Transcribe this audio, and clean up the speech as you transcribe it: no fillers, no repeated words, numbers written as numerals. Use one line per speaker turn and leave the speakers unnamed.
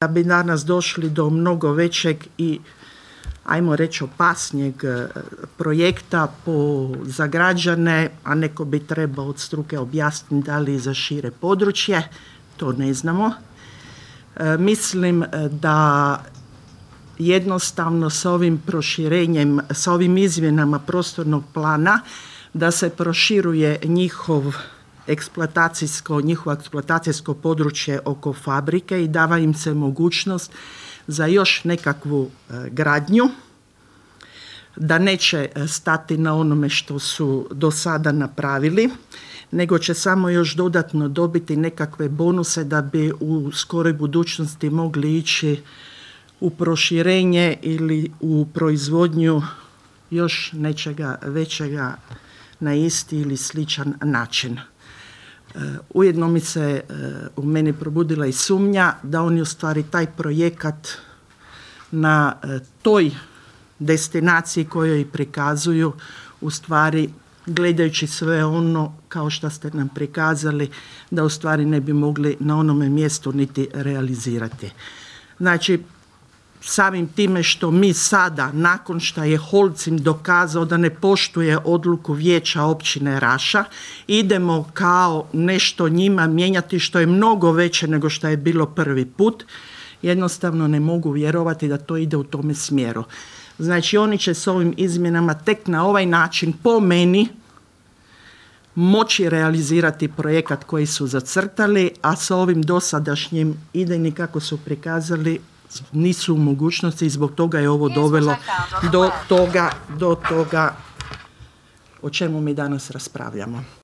da bi danas došli do mnogo većeg i, ajmo reći, opasnijeg projekta za građane, a neko bi trebao od struke objasniti da li za šire područje, to ne znamo. Mislim da jednostavno s ovim proširenjem, s ovim izmjenama prostornog plana, da se proširuje njihovo eksploatacijsko područje oko fabrike i dava im se mogućnost za još nekakvu gradnju, da neće stati na onome što su do sada napravili, nego će samo još dodatno dobiti nekakve bonuse da bi u skoroj budućnosti mogli ići u proširenje ili u proizvodnju još nečega većega na isti ili sličan način. Ujedno mi se u meni probudila i sumnja da oni u stvari taj projekat na toj destinaciji kojoj prikazuju, u stvari gledajući sve ono kao što ste nam prikazali, da u stvari ne bi mogli na onome mjestu niti realizirati. Znači, samim time što mi sada, nakon što je Holcim dokazao da ne poštuje odluku vijeća općine Raša, idemo kao nešto njima mijenjati što je mnogo veće nego što je bilo prvi put, jednostavno ne mogu vjerovati da to ide u tome smjeru. Znači, oni će s ovim izmjenama tek na ovaj način, po meni, moći realizirati projekat koji su zacrtali, a sa ovim dosadašnjim idejnim kako su prikazali nisu u mogućnosti i zbog toga je ovo dovelo do toga o čemu mi danas raspravljamo.